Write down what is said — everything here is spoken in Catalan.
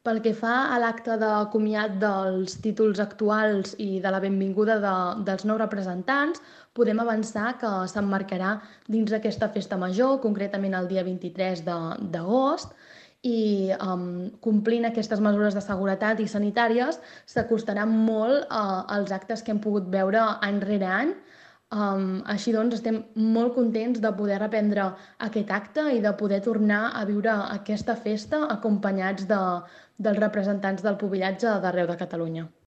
Pel que fa a l'acte de comiat dels títols actuals i de la benvinguda dels nous representants, podem avançar que s'emmarcarà dins d'aquesta festa major, concretament el dia 23 d'agost, i complint aquestes mesures de seguretat i sanitàries s'acostarà molt als actes que hem pogut veure any rere any. Així doncs, estem molt contents de poder reprendre aquest acte i de poder tornar a viure aquesta festa acompanyats dels representants del pubillatge d'arreu de Catalunya.